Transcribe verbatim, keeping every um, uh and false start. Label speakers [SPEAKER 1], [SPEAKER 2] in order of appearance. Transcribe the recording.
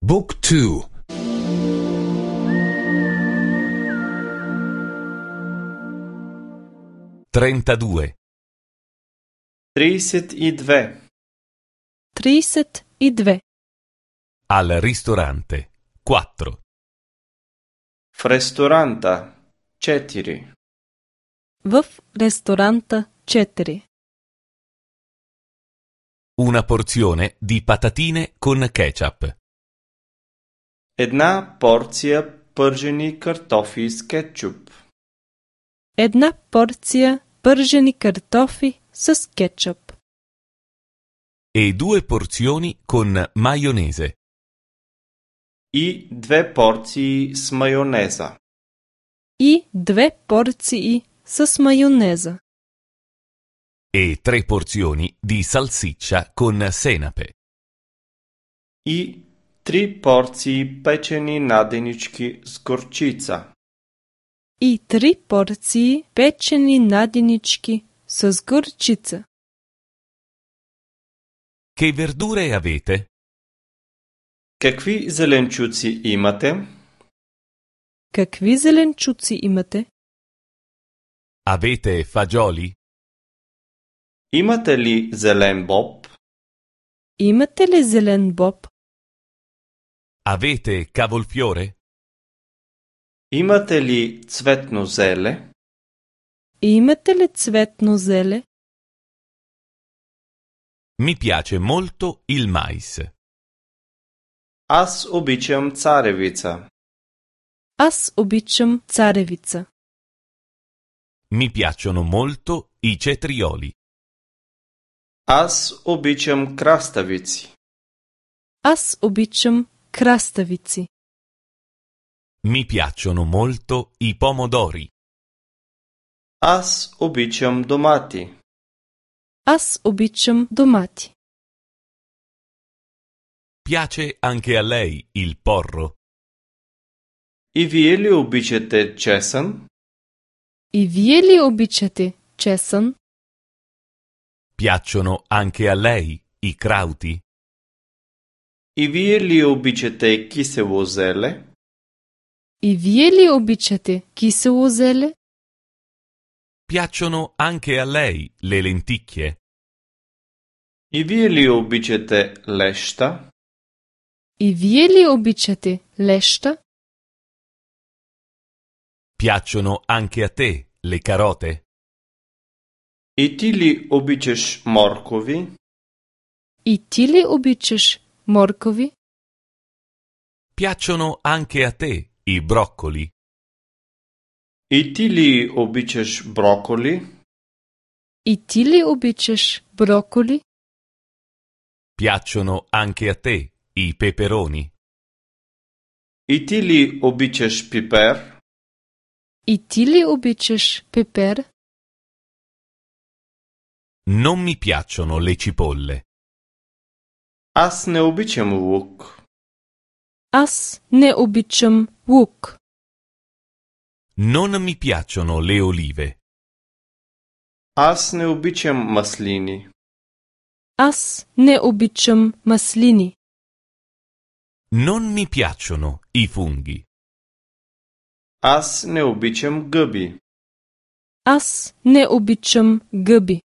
[SPEAKER 1] Book two.
[SPEAKER 2] trentadue.
[SPEAKER 3] trideset и две.
[SPEAKER 4] trideset и две.
[SPEAKER 2] Al ristorante. quattro.
[SPEAKER 3] В ресторанта. четири.
[SPEAKER 4] В ресторанта четири.
[SPEAKER 2] Una porzione di patatine con ketchup.
[SPEAKER 3] Една порција пържени картофи с кетчуп.
[SPEAKER 4] Една порција пържени картофи с кетчуп.
[SPEAKER 2] E due porzioni con maionese.
[SPEAKER 3] И две порции с мајонеза.
[SPEAKER 4] И две порции с мајонеза.
[SPEAKER 2] E tre porzioni di salsiccia con senape.
[SPEAKER 3] И три порции печени наденички с горчица.
[SPEAKER 4] И три порции печени наденички с горчица.
[SPEAKER 2] Che verdure avete?
[SPEAKER 3] Какви зеленчуци имате?
[SPEAKER 4] Какви зеленчуци имате?
[SPEAKER 2] Avete fagioli?
[SPEAKER 3] Имате ли зелен боб?
[SPEAKER 4] Имате ли зелен боб?
[SPEAKER 2] Avete cavolfiore?
[SPEAKER 3] Имате ли цветно зеле?
[SPEAKER 4] Имате ли цветно зеле?
[SPEAKER 2] Mi piace molto il mais.
[SPEAKER 3] Аз обичам царевица.
[SPEAKER 4] Аз обичам царевица.
[SPEAKER 2] Mi piacciono molto i cetrioli.
[SPEAKER 3] Аз обичам краставици.
[SPEAKER 4] Аз обичам краставици.
[SPEAKER 2] Mi piacciono molto i pomodori.
[SPEAKER 3] Аз обичам домати.
[SPEAKER 4] Аз обичам домати.
[SPEAKER 2] Piace anche a lei il porro?
[SPEAKER 3] И вие ли обичате чесън?
[SPEAKER 4] И вие ли обичате чесън?
[SPEAKER 2] Piacciono anche a lei i crauti?
[SPEAKER 3] И вие ли обичате кисело зеле?
[SPEAKER 4] И вие ли обичате кисело зеле?
[SPEAKER 2] Piacciono anche a lei le lenticchie?
[SPEAKER 3] И вие ли обичате леща?
[SPEAKER 4] И вие ли обичате леща?
[SPEAKER 2] Piacciono anche a te le carote?
[SPEAKER 3] И ти ли обичаш моркови?
[SPEAKER 4] И ти ли обичаш моркови?
[SPEAKER 2] Piacciono anche a te i broccoli?
[SPEAKER 3] И ти ли обичаш броколи?
[SPEAKER 4] И ти ли обичаш броколи?
[SPEAKER 2] Piacciono anche a te i peperoni?
[SPEAKER 3] И ти ли обичаш пипер?
[SPEAKER 4] И ти ли обичаш пепер?
[SPEAKER 2] Non mi piacciono le cipolle.
[SPEAKER 3] Аз не обичам лук.
[SPEAKER 4] Аз не обичам лук.
[SPEAKER 2] Non mi piacciono le olive.
[SPEAKER 3] Аз не обичам маслини.
[SPEAKER 4] Аз не обичам маслини.
[SPEAKER 2] Non mi piacciono i funghi.
[SPEAKER 3] Аз не обичам гъби.
[SPEAKER 4] Аз не обичам гъби.